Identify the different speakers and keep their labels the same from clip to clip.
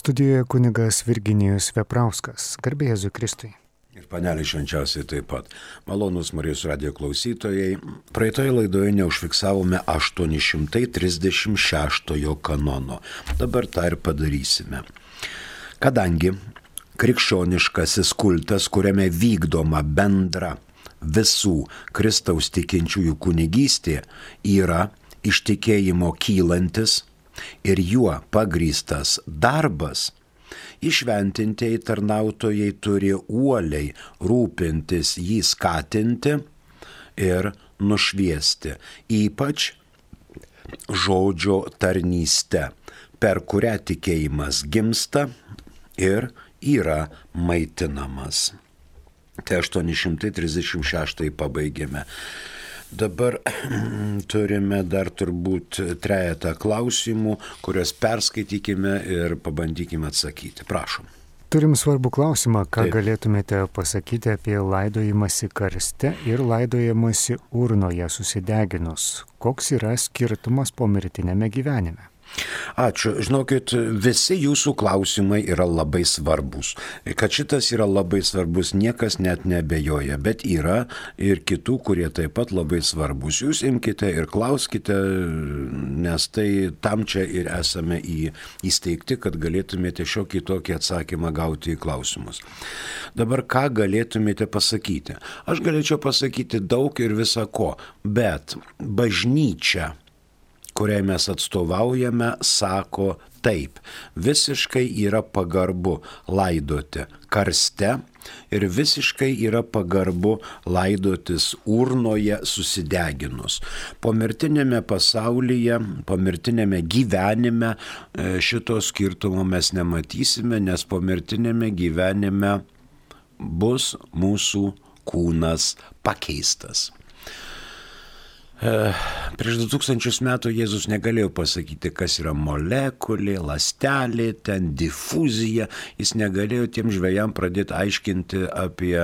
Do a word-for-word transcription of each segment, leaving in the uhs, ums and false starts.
Speaker 1: Studijoje kunigas Virginijus Veprauskas. Garbė Jėzui Kristui.
Speaker 2: Ir panelė švenčiausiai taip pat. Malonūs Marijos radijo klausytojai. Praeitoje laidoje neužfiksavome aštuoni šimtai trisdešimt šeštojo kanono. Dabar tą ir padarysime. Kadangi krikščioniškasis kultas, kuriame vykdoma bendra visų Kristaus tikinčiųjų kunigystė, yra iš tikėjimo kylantis ir juo pagrįstas darbas, įšventintieji tarnautojai turi uoliai rūpintis jį skatinti ir nušviesti, ypač žodžio tarnyste, per kurią tikėjimas gimsta ir yra maitinamas. Tai aštuoni šimtai trisdešimt šeštąjį pabaigėme. Dabar turime dar turbūt trejetą klausimų, kuriuos perskaitykime ir pabandykime atsakyti. Prašom.
Speaker 1: Turim svarbų klausimą, ką
Speaker 2: Taip.
Speaker 1: galėtumėte pasakyti apie laidojimąsi karste ir laidojimąsi urnoje susideginus. Koks yra skirtumas pomirtinėme gyvenime?
Speaker 2: Ačiū. Žinokit, visi jūsų klausimai yra labai svarbus. Kad šitas yra labai svarbus, niekas net nebejoja, bet yra ir kitų, kurie taip pat labai svarbus. Jūs imkite ir klauskite, nes tai tam čia ir esame į, įsteigti, kad galėtumėte šiokį tokį atsakymą gauti į klausimus. Dabar ką galėtumėte pasakyti? Aš galėčiau pasakyti daug ir visa ko, bet bažnyčia, kuriai mes atstovaujame, sako taip. Visiškai yra pagarbu laidoti karste ir visiškai yra pagarbu laidotis urnoje susideginus. Pomirtinėme pasaulyje, pomirtinėme gyvenime šito skirtumo mes nematysime, nes pomirtinėme gyvenime bus mūsų kūnas pakeistas. Prieš du tūkstančius metų Jėzus negalėjo pasakyti, kas yra molekulė, ląstelė, ten difuzija. Jis negalėjo tiem žvejam pradėti aiškinti apie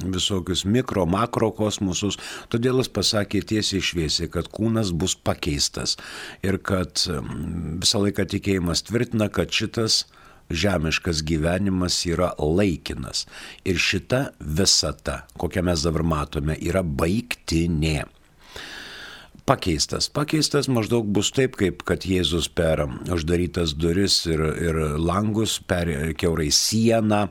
Speaker 2: visokius mikro, makro kosmosus. Todėl jis pasakė tiesiai šviesiai, kad kūnas bus pakeistas. Ir kad visą laiką tikėjimas tvirtina, kad šitas žemiškas gyvenimas yra laikinas. Ir šita visata, kokią mes dabar matome, yra baigtinė. Pakeistas. Pakeistas maždaug bus taip, kaip kad Jėzus per uždarytas duris ir, ir langus, per kiaurai sieną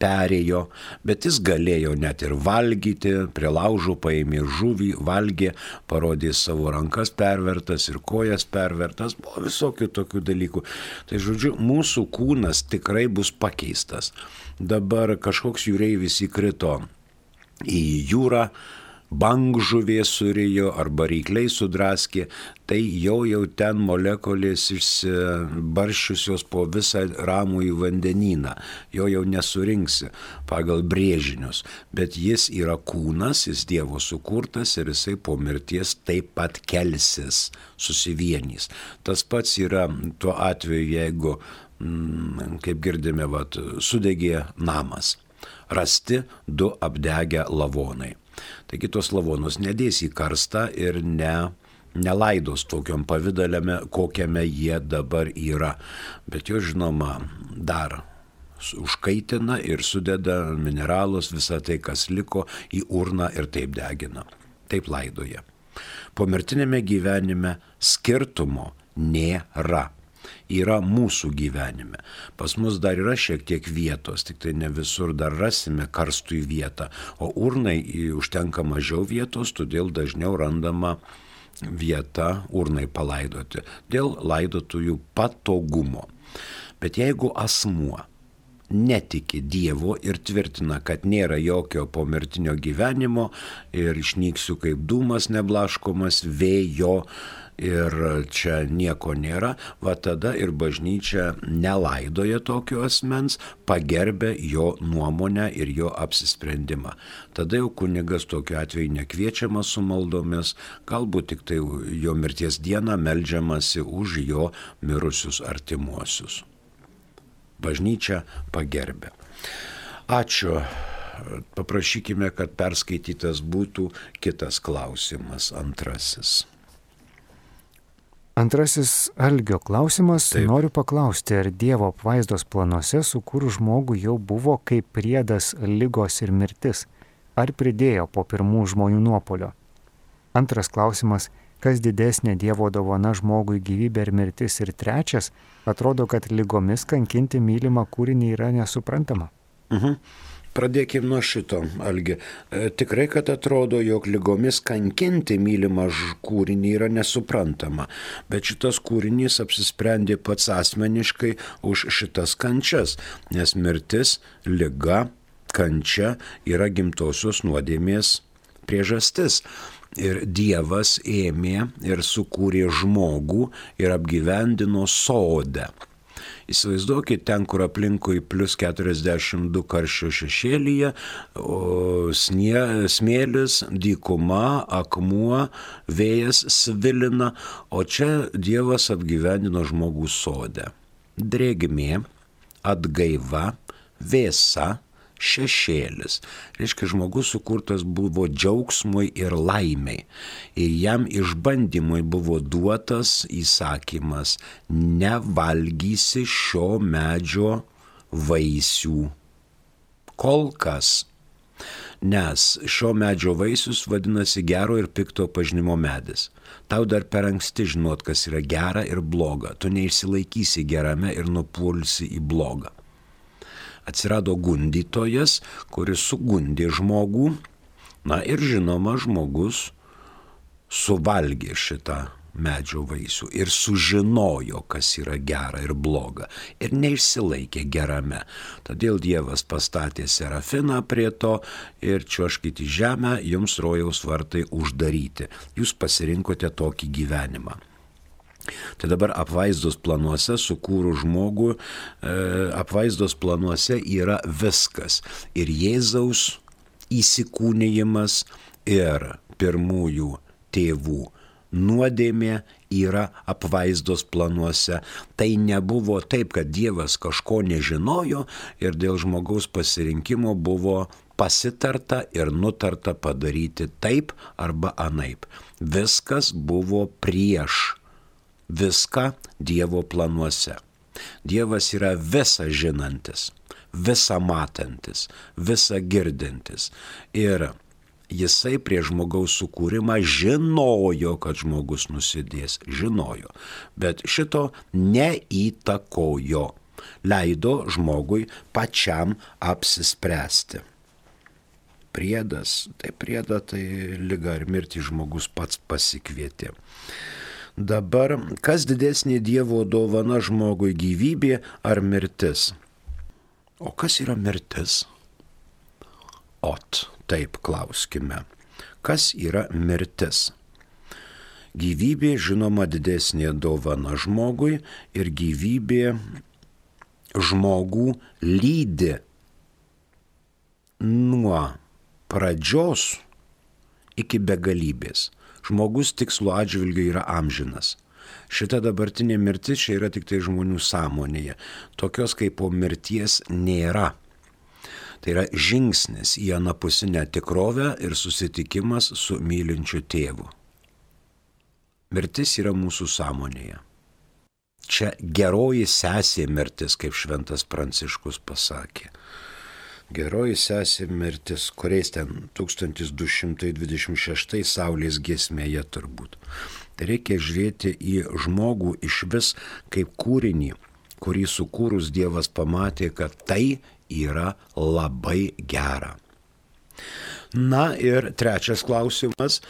Speaker 2: perėjo, bet jis galėjo net ir valgyti, prie laužų paėmė žuvį, valgė, parodė savo rankas pervertas ir kojas pervertas, buvo visokių tokių dalykų. Tai žodžiu, mūsų kūnas tikrai bus pakeistas. Dabar kažkoks jūreivis įkrito į jūrą, bangžuvė surijo arba rykliai sudraskė, tai jau jau ten molekulės išsibarščiusios po visą ramųjį vandenyną. Jo jau nesurinksi pagal brėžinius, bet jis yra kūnas, jis Dievo sukurtas ir jisai po mirties taip pat kelsis, susivienys. Tas pats yra tuo atveju, jeigu, kaip girdime, vat, sudegė namas, rasti du apdegę lavonai. Taigi tos lavonus nedės į karstą ir ne, nelaidos tokiom pavidalėme, kokiame jie dabar yra. Bet jo žinoma dar užkaitina ir sudeda mineralus, visą tai, kas liko, į urną ir taip degina. Taip laidoja. Pomirtinėme gyvenime skirtumo nėra. Yra mūsų gyvenime. Pas mus dar yra šiek tiek vietos, tik tai ne visur dar rasime karstui vietą, o urnai užtenka mažiau vietos, todėl dažniau randama vieta urnai palaidoti, dėl laidotųjų patogumo. Bet jeigu asmuo netiki Dievo ir tvirtina, kad nėra jokio pomirtinio gyvenimo ir išnyksiu kaip dūmas neblaškomas vėjo, ir čia nieko nėra, va tada ir bažnyčia nelaidoja tokio asmens, pagerbė jo nuomonę ir jo apsisprendimą. Tada jau kunigas tokiu atveju nekviečiamas su maldomis, galbūt tik tai jo mirties dieną meldžiamasi už jo mirusius artimuosius. Bažnyčia pagerbė. Ačiū. Paprašykime, kad perskaitytas būtų kitas klausimas, antrasis.
Speaker 1: Antrasis Algio klausimas.
Speaker 2: Taip.
Speaker 1: Noriu paklausti, ar Dievo apvaizdos planuose sukūrus žmogų jau buvo kaip priedas ligos ir mirtis, ar pridėjo po pirmų žmonių nuopolio? Antras klausimas. Kas didesnė Dievo dovana žmogui gyvybė ir mirtis? Ir trečias. Atrodo, kad ligomis kankinti mylimą kūrinį yra nesuprantama.
Speaker 2: Mhm. Pradėkime nuo šito, Algi. E, tikrai, kad atrodo, jog ligomis kankinti mylimą kūrinį yra nesuprantama, bet šitas kūrinys apsisprendė pats asmeniškai už šitas kančias, nes mirtis, liga, kančia yra gimtosios nuodėmės priežastis. Ir Dievas ėmė ir sukūrė žmogų ir apgyvendino sode. Įsivaizduokit, ten, kur aplinkui plus keturiasdešimt du karščio šešėlyje, snie, smėlis, dykuma, akmuo, vėjas svilina, o čia Dievas apgyvendino žmogų sode. Drėgmė, atgaiva, vėsa, šešėlis. Reiškia, žmogus sukurtas buvo džiaugsmui ir laimiai. Ir jam išbandymui buvo duotas įsakymas: nevalgysi šio medžio vaisių. Kol kas. Nes šio medžio vaisius vadinasi gero ir pikto pažinimo medis. Tau dar per anksti žinot, kas yra gera ir bloga. Tu neišsilaikysi gerame ir nupulsi į blogą. Atsirado gundytojas, kuris sugundė žmogų, na ir žinoma, žmogus suvalgė šitą medžio vaisių ir sužinojo, kas yra gera ir bloga, ir neišsilaikė gerame. Todėl Dievas pastatė serafiną prie to ir čiuožkit į žemę, jums rojaus vartai uždaryti. Jūs pasirinkote tokį gyvenimą. Tai dabar apvaizdos planuose sukūrų žmogų, e, apvaizdos planuose yra viskas. Ir Jėzaus įsikūnijimas, ir pirmųjų tėvų nuodėmė yra apvaizdos planuose. Tai nebuvo taip, kad Dievas kažko nežinojo ir dėl žmogaus pasirinkimo buvo pasitarta ir nutarta padaryti taip arba anaip. Viskas buvo prieš viską Dievo planuose. Dievas yra visa žinantis, visa matantis, visa girdintis. Ir jisai prie žmogaus sukūrimą žinojo, kad žmogus nusidės. Žinojo. Bet šito neįtakojo. Leido žmogui pačiam apsispręsti. Priedas, tai prieda, tai liga ir mirtį žmogus pats pasikvietė. Dabar, kas didesnė Dievo dovana žmogui, gyvybė ar mirtis? O kas yra mirtis? Ot, taip klauskime. Kas yra mirtis? Gyvybė, žinoma, didesnė dovana žmogui ir gyvybė žmogų lydi nuo pradžios iki begalybės. Žmogus tikslo atžvilgiu yra amžinas. Šita dabartinė mirtis čia yra tik tai žmonių sąmonėje. Tokios kaip po mirties nėra. Tai yra žingsnis į anapusinę tikrovę ir susitikimas su mylinčiu tėvu. Mirtis yra mūsų sąmonėje. Čia geroji sesė mirtis, kaip šventas Pranciškus pasakė. Geroji sesė mirtis, kuriais ten tūkstantis du šimtai dvidešimt šeštais Saulės giesmėje turbūt. Tai reikia žiūrėti į žmogų iš vis kaip kūrinį, kurį sukūrus Dievas pamatė, kad tai yra labai gera. Na ir trečias klausimas.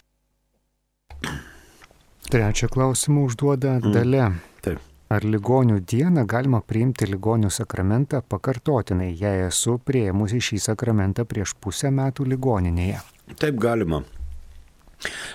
Speaker 1: Trečią klausimą užduoda Dalia.
Speaker 2: Mm, taip.
Speaker 1: Ar ligonių dieną galima priimti ligonių sakramentą pakartotinai, jei esu priėmusi šį sakramentą prieš pusę metų ligoninėje?
Speaker 2: Taip galima.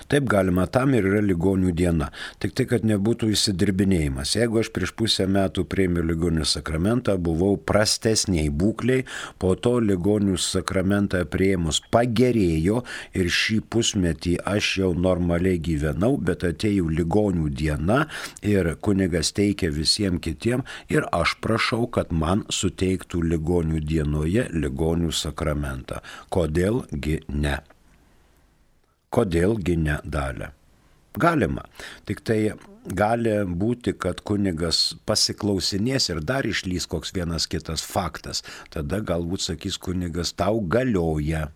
Speaker 2: Taip galima, tam ir yra ligonių diena. Tik tai, kad nebūtų įsidirbinėjimas. Jeigu aš prieš pusę metų priėmiau ligonių sakramentą, buvau prastesniai būkliai, po to ligonių sakramentą priėmus pagerėjo ir šį pusmetį aš jau normaliai gyvenau, bet atėjau ligonių diena ir kunigas teikia visiems kitiem ir aš prašau, kad man suteiktų ligonių dienoje ligonių sakramentą. Kodėlgi ne? Kodėlgi ne, Dalia? Galima. Tik tai gali būti, kad kunigas pasiklausinės ir dar išlys koks vienas kitas faktas. Tada galbūt sakys kunigas, tau galioja.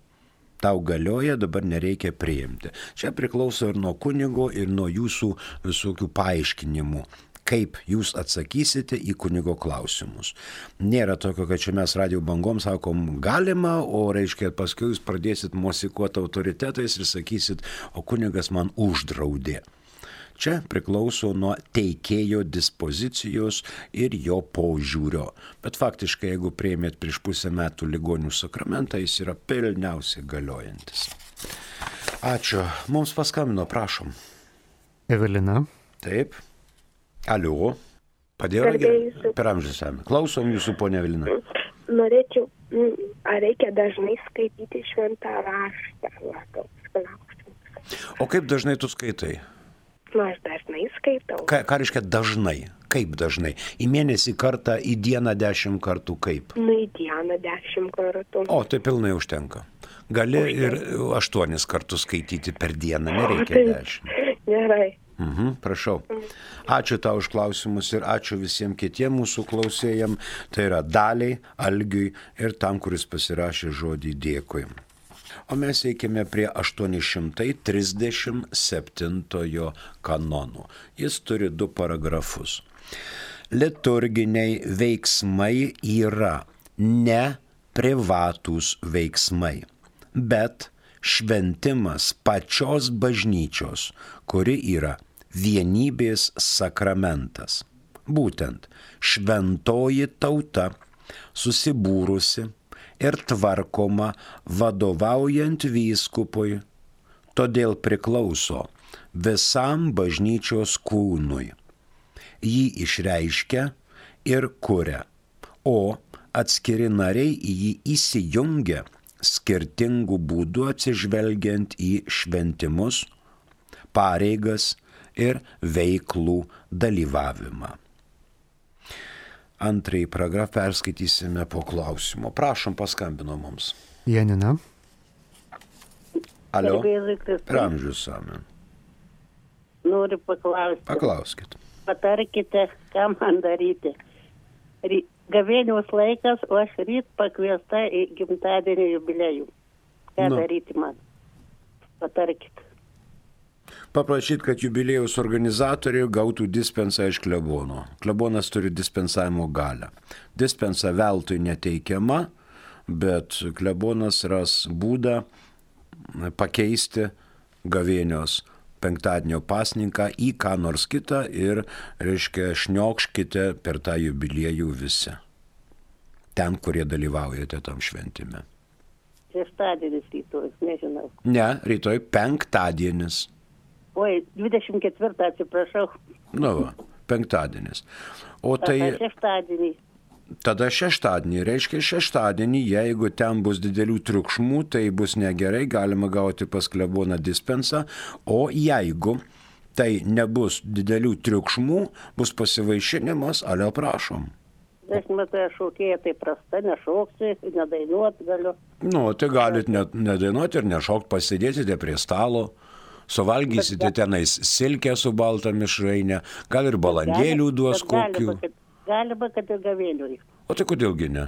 Speaker 2: Tau galioja, dabar nereikia priimti. Čia priklauso ir nuo kunigo, ir nuo jūsų visokių paaiškinimų, kaip jūs atsakysite į kunigo klausimus. Nėra tokio, kad čia mes radio bangom sakom galima, o reiškia paskui jūs pradėsit mosikuoti autoritetais ir sakysit, o kunigas man uždraudė. Čia priklauso nuo teikėjo dispozicijos ir jo požiūrio. Bet faktiškai, jeigu priėmėt prieš pusę metų ligonių sakramentą, jis yra pilniausiai galiojantis. Ačiū. Mums paskambino, prašom.
Speaker 1: Evelina.
Speaker 2: Taip. Aliu. Padėjo ragė? Per amžius esame. Klausom jūsų, ponia Evelina.
Speaker 3: Norėčiau, ar reikia dažnai skaityti šventą raštą?
Speaker 2: O kaip dažnai tu skaitai?
Speaker 3: Nu, aš dažnai skaitau.
Speaker 2: Ką, ką reiškia dažnai? Kaip dažnai? Į mėnesį kartą, į dieną dešimt kartų kaip?
Speaker 3: Nu, į dieną dešimt kartų.
Speaker 2: O, tai pilnai užtenka. Gali ir aštuonis kartus skaityti per dieną, nereikia dešimt.
Speaker 3: Gerai.
Speaker 2: Mhm, prašau. Ačiū tau už klausimus ir ačiū visiems kitiems mūsų klausėjams. Tai yra Daliai, Algiui ir tam, kuris pasirašė žodį dėkui. O mes eikime prie aštuoni šimtai trisdešimt septintojo kanono. Jis turi du paragrafus. Liturginiai veiksmai yra ne privatūs veiksmai, bet šventimas pačios bažnyčios, kuri yra vienybės sakramentas. Būtent šventoji tauta susibūrusi ir tvarkoma vadovaujant vyskupui, todėl priklauso visam bažnyčios kūnui. Jį išreiškia ir kuria, o atskiri nariai į jį įsijungia skirtingų būdų atsižvelgiant į šventimus, pareigas ir veiklų dalyvavimą. Antrąjį paragrafą perskaitysime po klausimo. Prašom, paskambino mums.
Speaker 1: Janina.
Speaker 2: Alio. Per amžius esame.
Speaker 4: Noriu paklausti.
Speaker 2: Paklauskit.
Speaker 4: Patarkite, ką man daryti. Gavėnios laikas, o aš ryt pakviesta į gimtadienio jubiliejų. Ką nu. daryti man? Patarkite.
Speaker 2: Paprašyti, kad jubiliejaus organizatoriai gautų dispensą iš klebono. Klebonas turi dispensavimo galią. Dispensa veltui neteikiama, bet klebonas ras būdą pakeisti gavėnios penktadienio pasninką į ką nors kitą ir, reiškia, šniokškite per tą jubiliejų visi. Ten, kurie dalyvaujate tam šventime.
Speaker 4: Šeštadienis rytoj, nežinau.
Speaker 2: Ne, rytoj penktadienis.
Speaker 4: Oi, dvidešimt ketvirtą, atsiprašau.
Speaker 2: Nu, va, penktadienis. O tai...
Speaker 4: Tada šeštadienį.
Speaker 2: Tada šeštadienį. Reiškia šeštadienį, jeigu ten bus didelių triukšmų, tai bus negerai, galima gauti pas kleboną dispensą. O jeigu tai nebus didelių triukšmų, bus pasivaišinimas, alio prašom.
Speaker 4: Aš matau, šokėja tai prasta, nešoksi, nedainuot galiu.
Speaker 2: Nu, tai galit nedainuoti ir nešokt, pasėdėsite prie stalo. Suvalgysite tenais silkę su balta mišrainė, gal ir balandėlių duos kokių.
Speaker 4: Galima, kad ir gavėniui.
Speaker 2: O tai kodėlgi ne?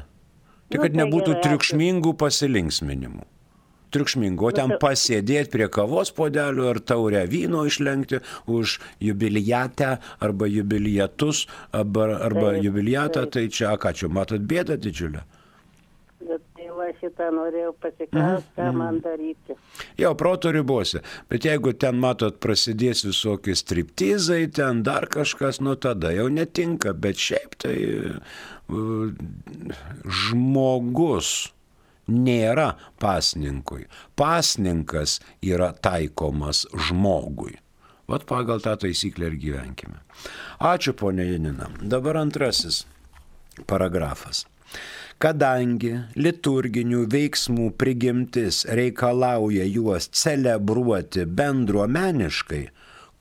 Speaker 2: Tai kad nebūtų triukšmingų pasilinksminimų. Triukšmingų, o ten pasėdėti prie kavos puodelių ar taurę vyno išlenkti už jubiliatę arba jubiliatus arba, arba jubiliatą, tai čia, ką čia, matot bėdą didžiulę?
Speaker 4: Va šitą norėjau pasiklausti, ką mm. man daryti.
Speaker 2: Jau proto ribose, bet jeigu ten, matot, prasidės visokie striptizai, ten dar kažkas, nu tada jau netinka, bet šiaip tai uh, žmogus nėra pasninkui. Pasninkas yra taikomas žmogui. Vat pagal tą taisyklę ir gyvenkime. Ačiū, ponia Janina. Dabar antrasis paragrafas. Kadangi liturginių veiksmų prigimtis reikalauja juos celebruoti bendruomeniškai,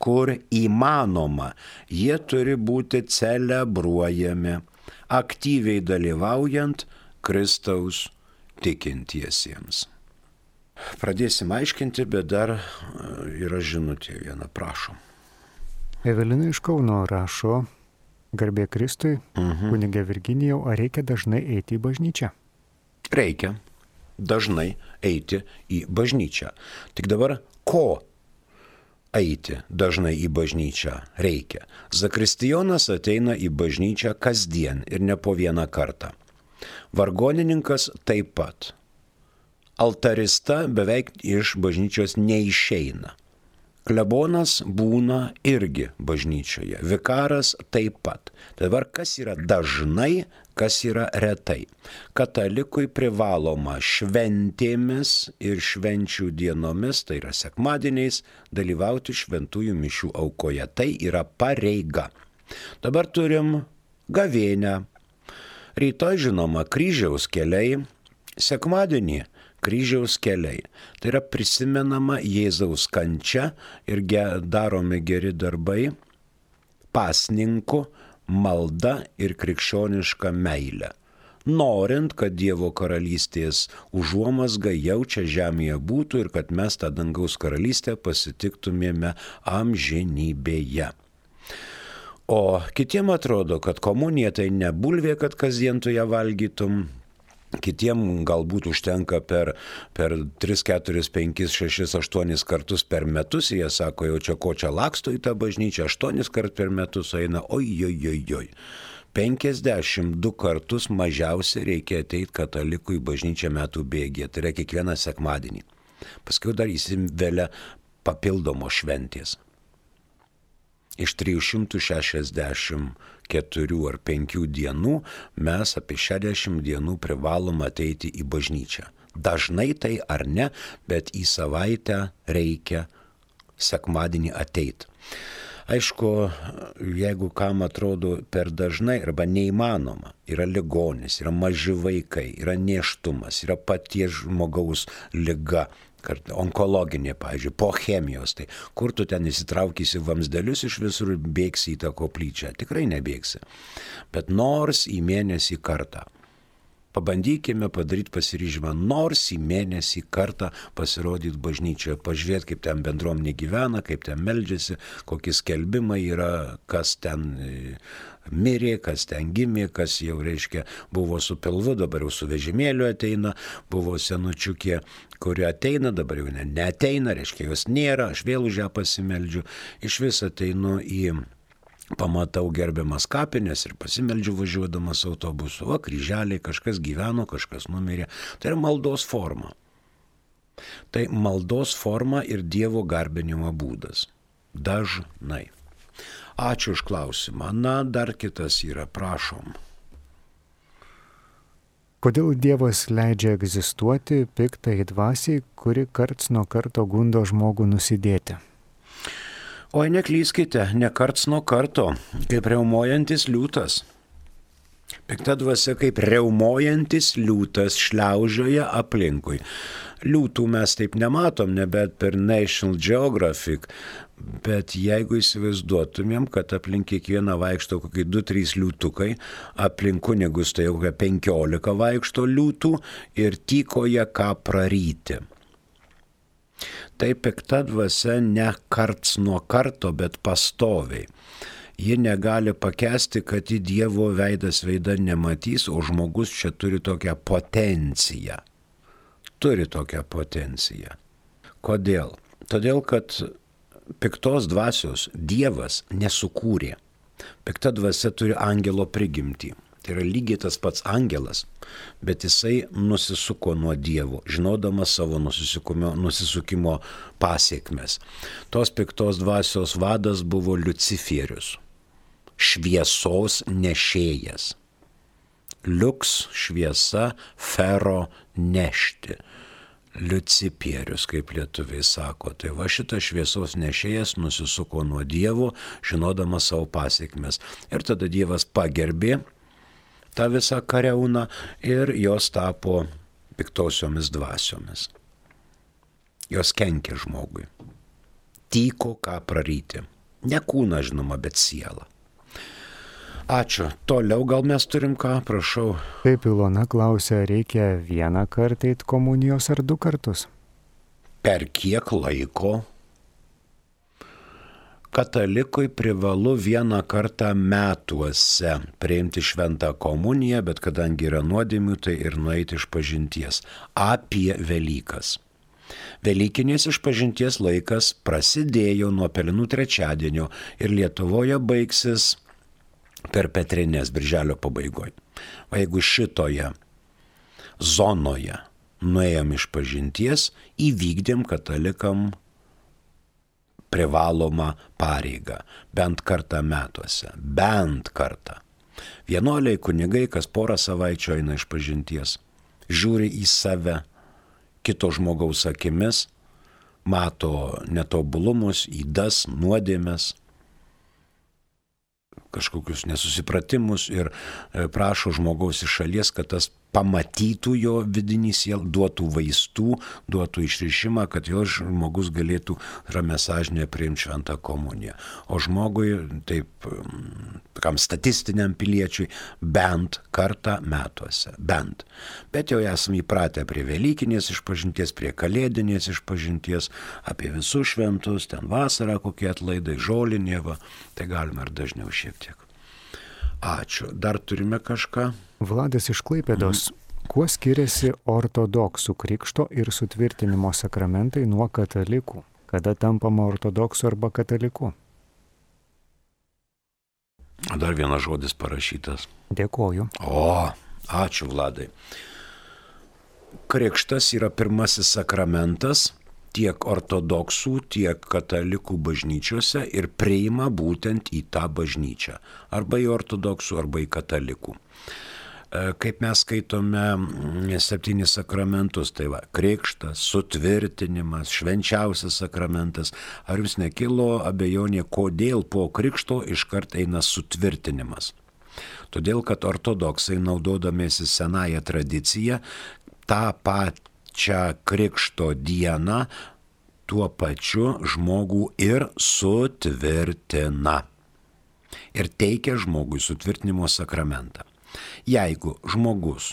Speaker 2: kur įmanoma, jie turi būti celebruojami, aktyviai dalyvaujant Kristaus tikintiesiems. Pradėsim aiškinti, bet dar yra žinutė viena, prašom.
Speaker 1: Evelina iš Kauno rašo, garbė Kristui, mhm. kunigė Virginijau, ar reikia dažnai eiti į bažnyčią?
Speaker 2: Reikia dažnai eiti į bažnyčią. Tik dabar ko eiti dažnai į bažnyčią reikia? Zakristijonas ateina į bažnyčią kasdien ir ne po vieną kartą. Vargonininkas taip pat. Altarista beveik iš bažnyčios neišeina. Klebonas būna irgi bažnyčioje, vikaras taip pat. Dabar kas yra dažnai, kas yra retai. Katalikui privaloma šventėmis ir švenčių dienomis, tai yra sekmadieniais, dalyvauti šventųjų mišių aukoje. Tai yra pareiga. Dabar turim gavėnią. Rytoj žinoma kryžiaus keliai, sekmadienį kryžiaus keliai. Tai yra prisimenama Jėzaus kančia ir ge, daromi geri darbai, pasninkų, malda ir krikščioniška meilė. Norint, kad Dievo karalystės užuomazga jau čia žemėje būtų ir kad mes tą dangaus karalystę pasitiktumėme amžinybėje. O kitiem atrodo, kad komunija tai ne bulvė, kad kasdien tu ją valgytum. Kitiem galbūt užtenka per, per tris, keturis, penkis, šešis, aštuonis kartus per metus. Jie sako, jau čia ko čia laksto į tą bažnyčią, aštuonis kart per metus eina, oi, oi, oi, oi. penkiasdešimt du kartus mažiausiai reikia ateiti katalikui į bažnyčią metų bėgyje. Tai yra kiekvieną sekmadienį. Paskui dar įsivelia papildomos šventės. Iš trijų šimtų šešiasdešimt keturių ar penkių dienų mes apie šešiasdešimt dienų privalom ateiti į bažnyčią. Dažnai tai ar ne, bet į savaitę reikia sekmadienį ateiti. Aišku, jeigu kam atrodo per dažnai arba neįmanoma, yra ligonis, yra maži vaikai, yra nėštumas, yra paties žmogaus liga, onkologinė, pavyzdžiui, po chemijos, tai kur tu ten įsitraukysi vamsdelius iš visur bėgsi į tą koplyčią? Tikrai nebėgsi. Bet nors į mėnesį kartą. Pabandykime padaryti pasiryžimą, nors į mėnesį kartą pasirodyti bažnyčioje, pažiūrėti, kaip ten bendruomenė gyvena, kaip ten meldžiasi, kokie skelbimai yra, kas ten mirė, kas ten gimė, kas jau, reiškia, buvo su pilvu, dabar jau su vežimėliu ateina, buvo senučiukė, kuri ateina, dabar jau ne, neateina, reiškia, jos nėra, aš vėl už ją pasimeldžiu, iš vis ateinu į... Pamatau gerbiamas kapines ir pasimeldžiu važiuodamas autobusu. O kryželiai, kažkas gyveno, kažkas numirė. Tai yra maldos forma. Tai maldos forma ir Dievo garbinimo būdas. Dažnai. Ačiū už klausimą. Na, dar kitas yra, prašom.
Speaker 1: Kodėl Dievas leidžia egzistuoti piktai dvasiai, kuri karts nuo karto gundo žmogų nusidėti?
Speaker 2: Oi, neklyskite, ne karts nuo karto, kaip riaumojantis liūtas. Pikta dvasia kaip riaumojantis liūtas šliaužioja aplinkui. Liūtų mes taip nematom, nebent per National Geographic, bet jeigu įsivaizduotumėm, kad aplink kiekvieną vaikšto kokie du trys liūtukai, aplink kunigus tai jau kokie penkiolika vaikšto liūtų ir tykoja ką praryti. Tai pikta dvasia ne karts nuo karto, bet pastoviai. Ji negali pakęsti, kad į Dievo veidas veidą nematys, o žmogus čia turi tokią potenciją. Turi tokią potenciją. Kodėl? Todėl, kad piktos dvasios Dievas nesukūrė. Pikta dvasia turi angelo prigimtį. Tai yra lygiai tas pats angelas, bet jisai nusisuko nuo Dievo, žinodamas savo nusisukimo, nusisukimo pasiekmes. Tos piktos dvasios vadas buvo Liucifierius, šviesos nešėjas. Liuks šviesa, fero nešti. Liucipierius, kaip lietuviai sako. Tai va šitas šviesos nešėjas nusisuko nuo Dievo, žinodamas savo pasiekmes. Ir tada Dievas pagerbė tą visą kariauną ir jos tapo piktosiomis dvasiomis. Jos kenkė žmogui. Tyko ką praryti. Ne kūną, žinoma, bet sielą. Ačiū. Toliau gal mes turim ką, prašau.
Speaker 1: Taip, Ilona klausia, reikia vieną kartą eiti komunijos ar du kartus?
Speaker 2: per kiek laiko. Katalikui privalu vieną kartą metuose priimti šventą komuniją, bet kadangi yra nuodėmių, tai ir nueiti iš pažinties. Apie Velykas. Velykinės išpažinties laikas prasidėjo nuo Pelenų trečiadienio ir Lietuvoje baigsis per Petrinės birželio pabaigoje. O jeigu šitoje zonoje nuėjom iš pažinties, įvykdėm katalikam privalomą pareigą, bent kartą metuose, bent kartą. Vienuoliai kunigai kas porą savaičių eina iš pažinties, žiūri į save kito žmogaus akimis, mato netobulumus, ydas, nuodėmes, kažkokius nesusipratimus ir prašo žmogaus iš šalies, kad tas pamatytų jo vidinį sielą, duotų vaistų, duotų išrišimą, kad jo žmogus galėtų ramia sąžinė priimti šventą komuniją. O žmogui, taip, kam statistiniam piliečiui, bent kartą metuose, bent. Bet jau esame įpratę prie Velykinės išpažinties, prie Kalėdinės išpažinties, apie visus šventus, ten vasarą kokie atlaidai, žolinė, va, tai galima ir dažniau šiek tiek. Ačiū. Dar turime kažką?
Speaker 1: Vladas iš Klaipėdos. Kuo skiriasi ortodoksų krikšto ir sutvirtinimo sakramentai nuo katalikų? Kada tampama ortodoksu arba kataliku?
Speaker 2: Dar vienas žodis parašytas.
Speaker 1: Dėkoju.
Speaker 2: O, ačiū Vladai. Krikštas yra pirmasis sakramentas tiek ortodoksų, tiek katalikų bažnyčiose ir priima būtent į tą bažnyčią. Arba į ortodoksų, arba į katalikų. Kaip mes skaitome septynis sakramentus, tai va, krikštas, sutvirtinimas, švenčiausias sakramentas. Ar jums nekilo abejonė, kodėl po krikšto iškart eina sutvirtinimas? Todėl, kad ortodoksai, naudodamiesi senąją tradiciją, tą pačią krikšto dieną tuo pačiu žmogų ir sutvirtina. Ir teikia žmogui sutvirtinimo sakramentą. Jeigu žmogus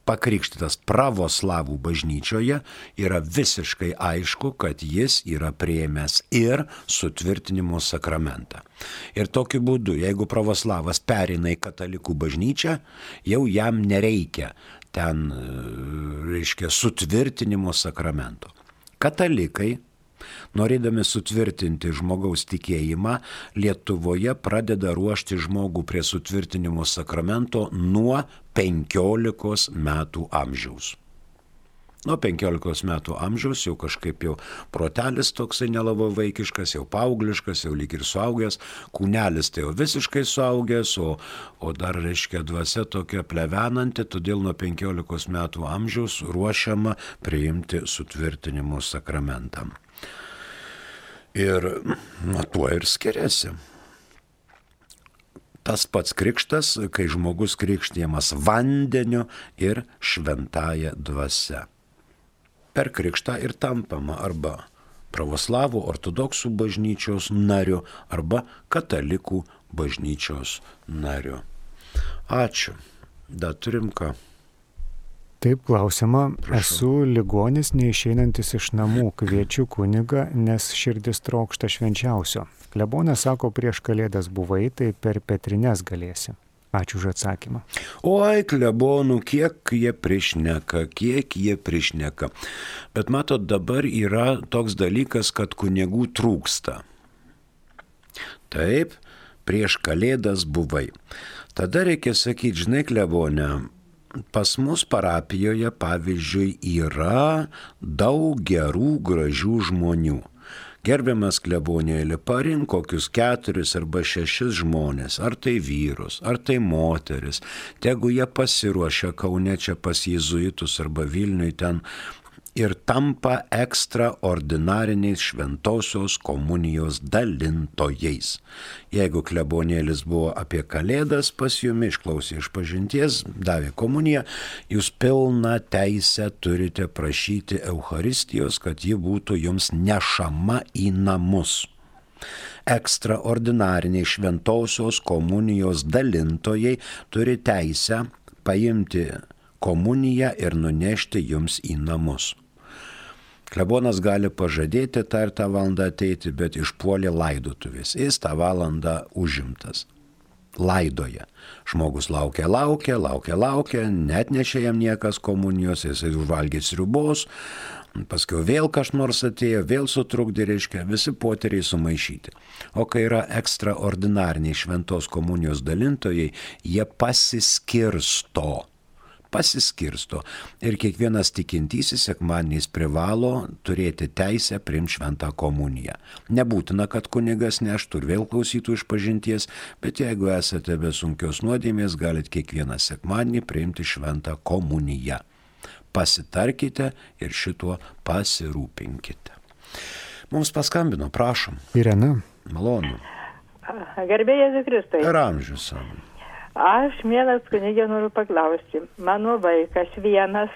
Speaker 2: pakrikštytas pravoslavų bažnyčioje, yra visiškai aišku, kad jis yra priėmęs ir sutvirtinimo sakramentą. Ir tokiu būdu, jeigu pravoslavas pereina į katalikų bažnyčią, jau jam nereikia ten, reiškia, sutvirtinimo sakramento. Katalikai, norėdami sutvirtinti žmogaus tikėjimą, Lietuvoje pradeda ruošti žmogų prie sutvirtinimo sakramento nuo penkiolikos metų amžiaus. Nuo penkiolikos metų amžiaus jau kažkaip jau protelis toksai nelabai vaikiškas, jau paaugliškas, jau lyg ir suaugęs, kūnelis tai jau visiškai suaugęs, o, o dar, reiškia, dvasia tokia plevenanti, todėl nuo penkiolikos metų amžiaus ruošiama priimti sutvirtinimo sakramentą. Ir nuo tuo ir skiriasi. Tas pats krikštas, kai žmogus krikštijamas vandeniu ir šventąja dvasia. Per krikštą ir tampama arba pravoslavų ortodoksų bažnyčios nariu, arba katalikų bažnyčios nariu. Ačiū. Dar turim ką?
Speaker 1: Taip, klausima.
Speaker 2: Prašau.
Speaker 1: Esu ligonis neišeinantis iš namų, kviečiu kunigą, nes širdis trokšta švenčiausio. Klebonas sako, prieš Kalėdas buvai, tai per Petrines galėsi. Ačiū už atsakymą.
Speaker 2: Oi, klebonų, kiek jie prišneka, kiek jie prišneka. Bet matot, dabar yra toks dalykas, kad kunigų trūksta. Taip, prieš Kalėdas buvai. Tada reikia sakyti, žinai, klebonė, pas mus parapijoje, pavyzdžiui, yra daug gerų, gražių žmonių. Gerbiamas klebonėlį, parink kokius keturis arba šešis žmonės, ar tai vyrus, ar tai moteris, tegu jie pasiruošia Kaune čia pas jėzuitus arba Vilniui ten ir tampa ekstraordinariniais šventosios komunijos dalintojais. Jeigu klebonėlis buvo apie Kalėdas pas jumi, išklausė išpažinties, davė komuniją, jūs pilną teisę turite prašyti Eucharistijos, kad ji būtų jums nešama į namus. Ekstraordinariniai šventosios komunijos dalintojai turi teisę paimti komuniją ir nunešti jums į namus. Klebonas gali pažadėti tą ir tą valandą ateiti, bet išpuolė laidotuvės. Jis tą valandą užimtas. Laidoja. Žmogus laukia, laukia, laukia, laukia, net nešė jam niekas komunijos, jisai užvalgė sriubos, paskui vėl kas nors atėjo, vėl sutrukdė, reiškia, visi poteriai sumaišyti. O kai yra ekstraordinariniai šventos komunijos dalintojai, jie pasiskirsto. Pasiskirsto. Ir kiekvienas tikintysis sekmadieniais privalo turėti teisę priimti šventą komuniją. Nebūtina, kad kunigas neštų ir vėl klausytų išpažinties, bet jeigu esate be sunkios nuodėmės, galite kiekvieną sekmadienį priimti šventą komuniją. Pasitarkite ir šituo pasirūpinkite. Mums paskambino, prašom.
Speaker 1: Irena.
Speaker 2: Malonu.
Speaker 5: Garbė Jėzui Kristui.
Speaker 2: Ir amžius savo.
Speaker 5: Aš, mielas kunigė, noriu paklausti. Mano vaikas vienas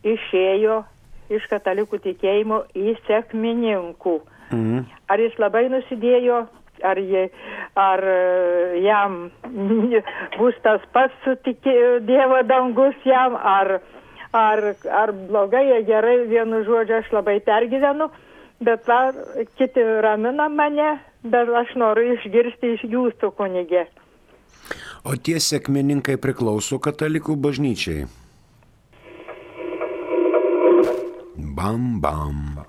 Speaker 5: išėjo iš katalikų tikėjimo į sekmininkų. Mhm. Ar jis labai nusidėjo, ar, jie, ar jam bus tas pats sutikė, Dievo dangus jam, ar, ar, ar blogai, ar gerai, vienu žodžiu, aš labai pergyvenu, bet va, kiti ramina mane, bet aš noriu išgirsti iš jūsų, kunigė.
Speaker 2: O tie sekmininkai priklauso katalikų bažnyčiai? Bam, bam.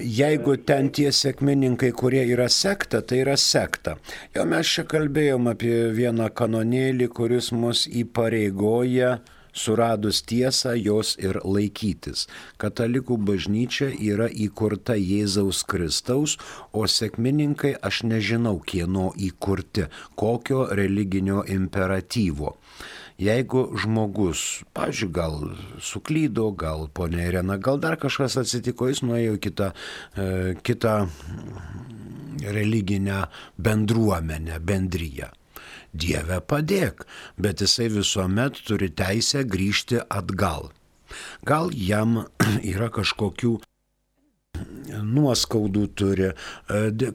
Speaker 2: Jeigu ten tie sekmininkai, kurie yra sekta, tai yra sekta. Jau mes čia kalbėjom apie vieną kanonėlį, kuris mus įpareigoja suradus tiesą jos ir laikytis. Katalikų bažnyčia yra įkurta Jėzaus Kristaus, o sekmininkai aš nežinau kieno įkurti, kokio religinio imperatyvo. Jeigu žmogus, pavyzdžiui, gal suklydo, gal ponia Irena, gal dar kažkas atsitiko, jis nuėjo į kitą, e, kitą religinę bendruomenę, bendriją. Dieve padėk, bet jisai visuomet turi teisę grįžti atgal. Gal jam yra kažkokių nuoskaudų turi,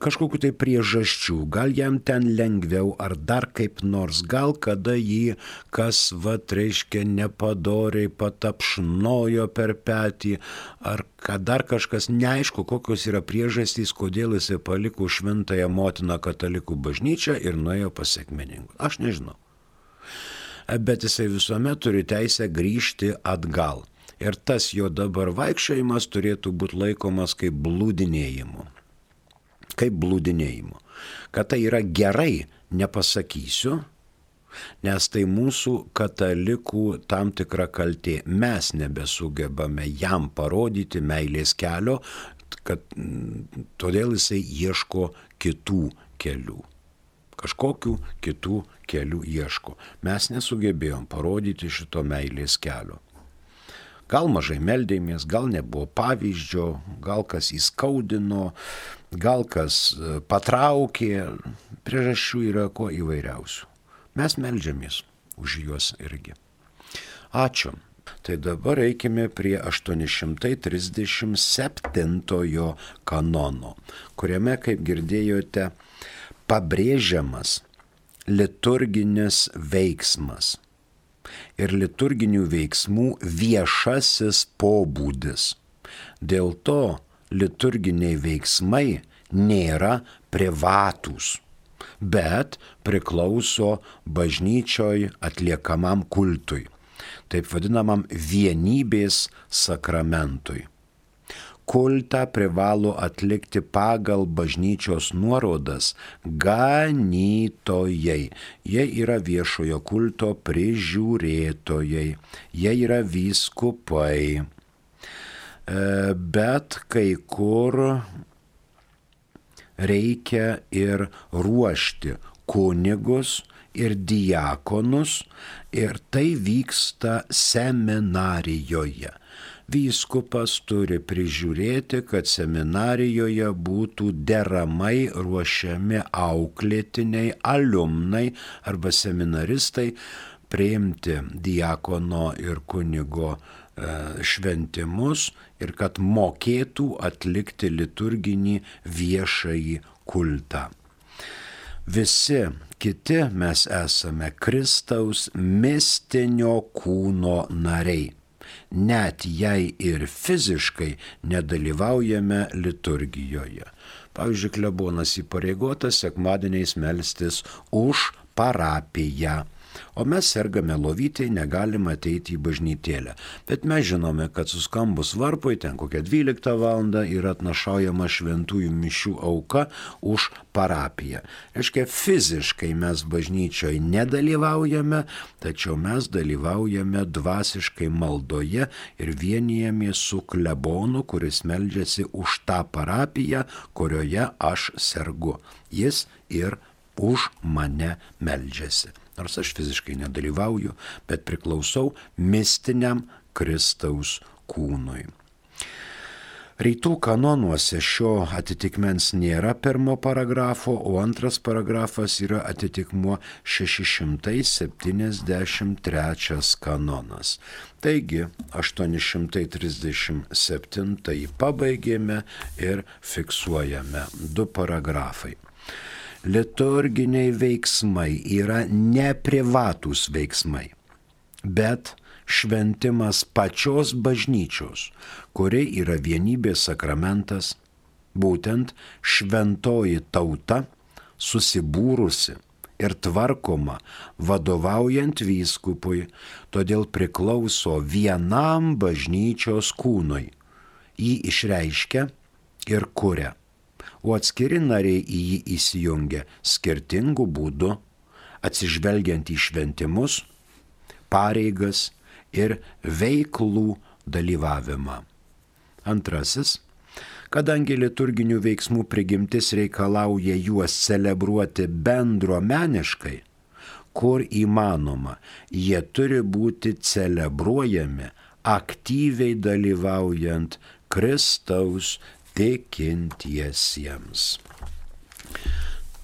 Speaker 2: kažkokių tai priežasčių, gal jam ten lengviau ar dar kaip nors, gal kada jį kas, va, reiškia, nepadoriai patapšnojo per petį, ar kad dar kažkas, neaišku, kokios yra priežastys, kodėl jisai paliko šventąją motiną katalikų bažnyčią ir nuėjo pas sekmininkus. Aš nežinau. Bet jisai visuomet turi teisę grįžti atgal. Ir tas jo dabar vaikščiojimas turėtų būti laikomas kaip blūdinėjimu. Kaip blūdinėjimu. Kad tai yra gerai, nepasakysiu, nes tai mūsų katalikų tam tikra kaltė. Mes nebesugebame jam parodyti meilės kelio, kad todėl jisai ieško kitų kelių. Kažkokių kitų kelių ieško. Mes nesugebėjom parodyti šito meilės kelio. Gal mažai meldėmės, gal nebuvo pavyzdžio, gal kas įskaudino, gal kas patraukė, priežasčių yra ko įvairiausių. Mes meldžiamės už juos irgi. Ačiū. Tai dabar eikime prie aštuoni šimtai trisdešimt septintojo kanono, kuriame, kaip girdėjote, pabrėžiamas liturginis veiksmas. Ir liturginių veiksmų viešasis pobūdis. Dėl to liturginiai veiksmai nėra privatūs, bet priklauso bažnyčioj atliekamam kultui, taip vadinamam vienybės sakramentui. Kultą privalo atlikti pagal bažnyčios nuorodas ganytojai. Jie yra viešojo kulto prižiūrėtojai. Jie yra vyskupai. Bet kai kur reikia ir ruošti kunigus ir diakonus, ir tai vyksta seminarijoje. Vyskupas turi prižiūrėti, kad seminarijoje būtų deramai ruošiami auklėtiniai, aliumnai arba seminaristai priimti diakono ir kunigo e, šventimus ir kad mokėtų atlikti liturginį viešąjį kultą. Visi kiti mes esame Kristaus mistinio kūno nariai. net jei ir fiziškai nedalyvaujame liturgijoje. Pavyzdžiui, klebonas įpareigotas sekmadieniais melstis už parapiją. O mes sergame lovytėj, negalime ateiti į bažnytėlę. Bet mes žinome, kad suskambus varpui, ten kokią dvyliktą valandą yra atnašaujama šventųjų mišių auka už parapiją. Reiškia, fiziškai mes bažnyčioje nedalyvaujame, tačiau mes dalyvaujame dvasiškai maldoje ir vienijamės su klebonu, kuris meldžiasi už tą parapiją, kurioje aš sergu. Jis ir už mane meldžiasi. Nors aš fiziškai nedalyvauju, bet priklausau mistiniam Kristaus kūnui. Rytų kanonuose šio atitikmens nėra pirmo paragrafo, o antras paragrafas yra atitikmuo šeši šimtai septyniasdešimt trečias kanonas. Taigi, aštuoni šimtai trisdešimt septintąjį pabaigėme ir fiksuojame du paragrafai. Liturginiai veiksmai yra ne privatūs veiksmai, bet šventimas pačios bažnyčios, kuri yra vienybės sakramentas, būtent šventoji tauta susibūrusi ir tvarkoma vadovaujant vyskupui, todėl priklauso vienam bažnyčios kūnui, jį išreiškia ir kuria. O atskiri nariai į jį įsijungia skirtingų būdų, atsižvelgiant į šventimus, pareigas ir veiklų dalyvavimą. Antrasis, kadangi liturginių veiksmų prigimtis reikalauja juos celebruoti bendruomeniškai, kur įmanoma, jie turi būti celebruojami aktyviai dalyvaujant Kristaus tikintiesiems.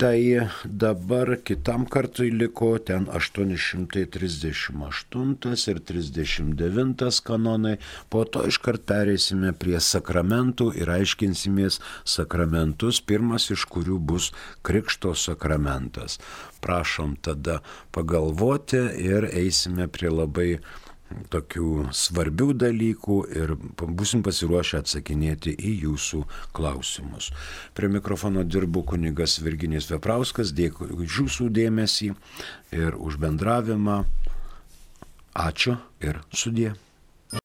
Speaker 2: Tai dabar kitam kartui liko ten aštuoni šimtai trisdešimt aštuntas ir trisdešimt devintas kanonai, po to iškart pereisime prie sakramentų ir aiškinsimės sakramentus, pirmas iš kurių bus Krikšto sakramentas. Prašom tada pagalvoti ir eisime prie labai tokių svarbių dalykų ir būsim pasiruošę atsakinėti į jūsų klausimus. Prie mikrofono dirbu kunigas Virginijus Veprauskas, dėkui už jūsų dėmesį ir už bendravimą. Ačiū ir sudie.